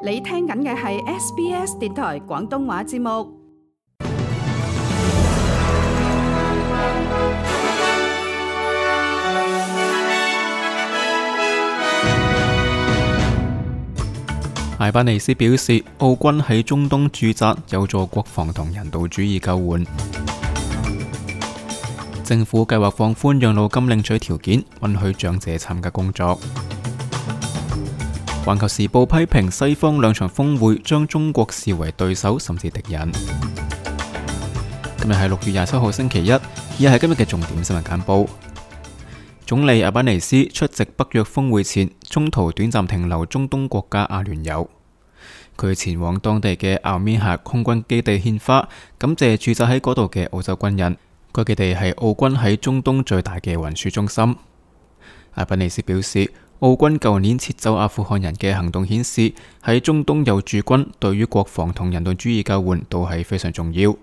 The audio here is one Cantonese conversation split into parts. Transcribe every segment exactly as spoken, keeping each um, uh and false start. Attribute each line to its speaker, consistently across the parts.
Speaker 1: 你聽緊嘅係 S B S 電台廣東話節目。
Speaker 2: 艾巴尼斯表示，澳軍喺中東駐紮有助國防同人道主義救援。政府計劃放寬養老金領取條件，允許長者參加工作。環球時報批評西方兩場峰會將中國視為對手甚至敵人。今日係六月廿七號星期一，以下係今日嘅重點新聞簡報。總理阿巴尼斯出席北約峰會前，中途短暫停留中東國家阿聯酋。佢前往當地嘅奧米峽空軍基地獻花，感謝駐紮喺嗰度嘅澳洲軍人。該基地係澳軍喺中東最大嘅運輸中心。阿巴尼斯表示，澳軍舊年撤走阿富汗人嘅行動顯示，喺中東有駐軍對於國防同人道主義救援都係非常重要。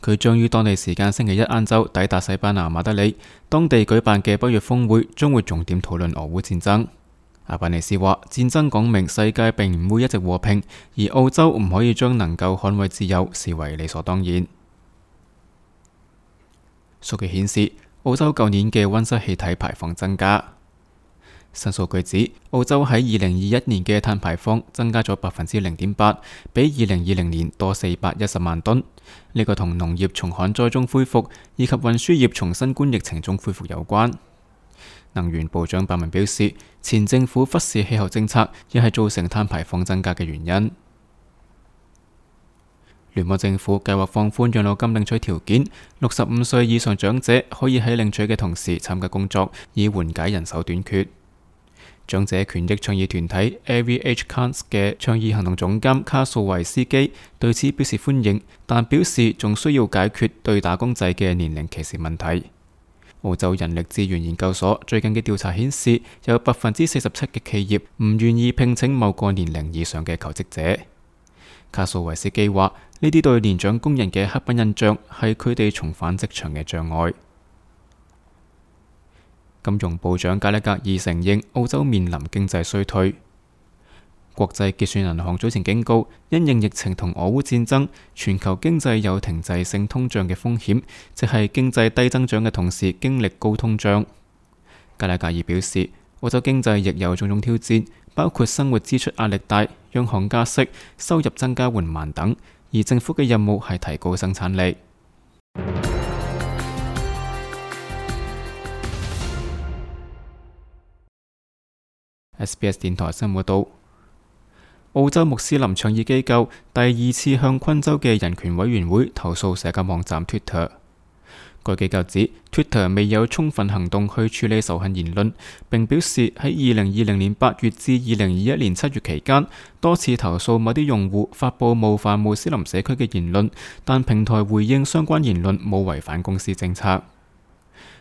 Speaker 2: 佢將於當地時間星期一晏晝抵達西班牙馬德里，當地舉辦嘅北約峰會將會重點討論俄烏戰爭。阿巴尼斯話，戰爭講明世界並唔會一直和平，而澳洲唔可以將能夠捍衛自由視為理所當然。數據顯示，澳洲舊年嘅溫室氣體排放增加。新數據指，澳洲喺二零二一年嘅碳排放增加咗百分之零點八，比二零二零年多四百一十萬噸。呢個同農業從旱災中恢復以及運輸業從新冠疫情中恢復有關。能源部長白文表示，前政府忽視氣候政策，亦係造成碳排放增加嘅原因。聯邦政府計劃放寬養老金領取條件，六十五歲以上長者可以喺領取嘅同時參加工作，以緩解人手短缺。長者權益倡議團體 A V H Cans 嘅倡議行動總監卡素維斯基對此表示歡迎，但表示仲需要解決對打工仔嘅年齡歧視問題。澳洲人力資源研究所最近嘅調查顯示，有百分之四十七嘅企業唔願意聘請某個年齡以上嘅求職者。卡素維斯基話，呢啲對年長工人嘅刻板印象係佢哋重返職場嘅障礙。金融部長加拉格爾承認澳洲面臨經濟衰退。國際結算銀行早前警告，因應疫情同俄烏戰爭，全球經濟有停滯性通脹嘅風險，即係經濟低增長嘅同時經歷高通脹。加拉格爾表示，澳洲經濟亦有種種挑戰，包括生活支出壓力大、央行加息、收入增加緩慢等，而政府嘅任務係提高生產力。S B S 電台新聞報道，澳洲穆斯林倡議機構第二次向昆州嘅人權委員會投訴社交網站 Twitter。該機構指 Twitter 未有充分行動去處理仇恨言論，並表示喺二零二零年八月至二零二一年七月期間，多次投訴某啲用戶發佈冒犯穆斯林社區嘅言論，但平台回應相關言論冇違反公司政策。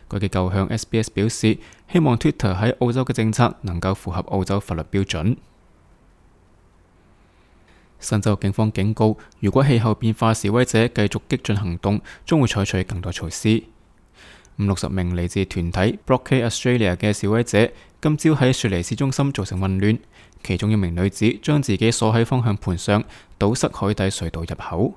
Speaker 2: 該機構向 S B S 表示，希望 Twitter 喺澳洲嘅政策能夠符合澳洲法律標準。新州警方警告，如果氣候變化示威者繼續激進行動，將會採取更多措施。五六十名嚟自團體 Blockade Australia 嘅示威者今朝喺雪梨市中心造成混亂，其中一名女子將自己鎖喺方向盤上，堵塞海底隧道入口。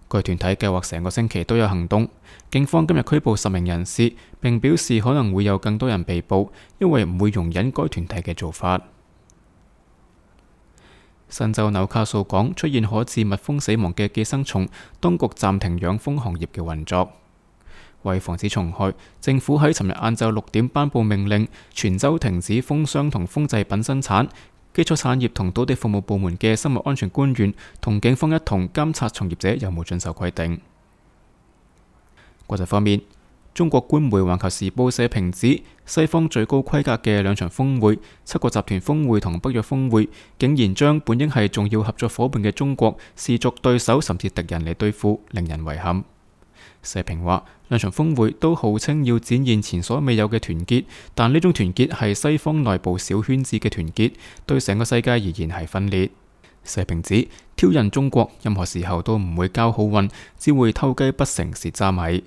Speaker 2: 該團體計劃成個星期都有行動。警方今日拘捕十名人士，並表示可能會有更多人被捕，因為唔會容忍該團體嘅做法。新州紐卡素港出現可致蜜蜂死亡嘅寄生蟲，當局暫停養蜂行業嘅運作。為防止蟲害，政府喺尋日晏晝六點頒布命令，全州停止蜂箱同蜂製品生產。基礎產業同土地服務部門嘅生物安全官員同警方一同監察從業者有冇遵守規定。國際方面，中國官媒《環球時報》社評指，西方最高規格嘅兩場峰會，七國集團峰會同北約峰會，竟然將本應係重要合作伙伴嘅中國視作對手甚至敵人嚟對付，令人遺憾。社評話，兩場峰會都號稱要展現前所未有嘅團結，但呢種團結係西方內部小圈子嘅團結，對成個世界而言係分裂。社評指，挑釁中國任何時候都唔會交好運，只會偷雞不成蝕渣米。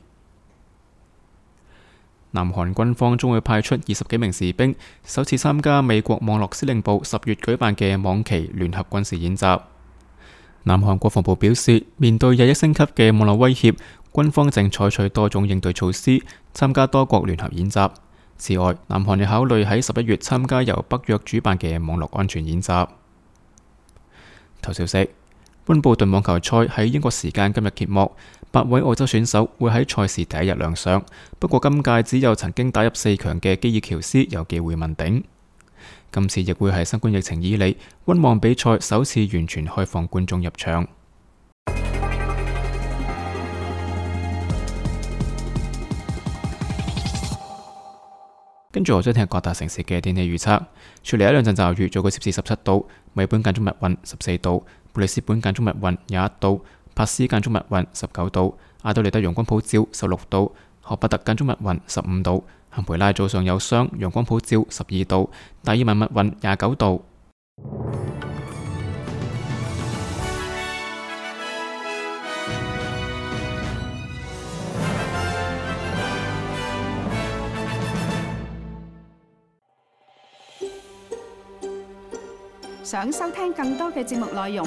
Speaker 2: 南韓軍方將會派出二十幾名士兵，首次參加美國網絡司令部十月舉辦嘅網旗聯合軍事演習。南韓國防部表示，面對日益升級嘅網絡威脅，軍方正採取多種應對措施，參加多國聯合演習。此外，南韓亦考慮喺十一月參加由北約主辦嘅網絡安全演習。頭消息：溫布頓網球賽喺英國時間今日揭幕，八位澳洲選手會喺賽事第一日亮相。不過今屆只有曾經打入四強嘅基爾喬斯有機會問鼎。今次亦會係新冠疫情以嚟溫網比賽首次完全開放觀眾入場。跟住我將聽日各大城市嘅天氣預測：雪梨一兩陣驟雨，最高攝氏十七度；墨爾本間中密雲十四度；布里斯本間中密雲廿一度；珀斯間中密雲十九度；阿德利德陽光普照十六度；荷伯特間中密雲十五度；坎培拉早上有霜，陽光普照十二度；達爾文密雲廿九度。
Speaker 1: 想收聽更多嘅節目內容，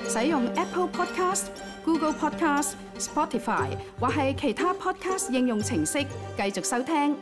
Speaker 1: 使用 Apple Podcast、Google Podcast、Spotify 或係其他 Podcast 應用程式繼續收聽。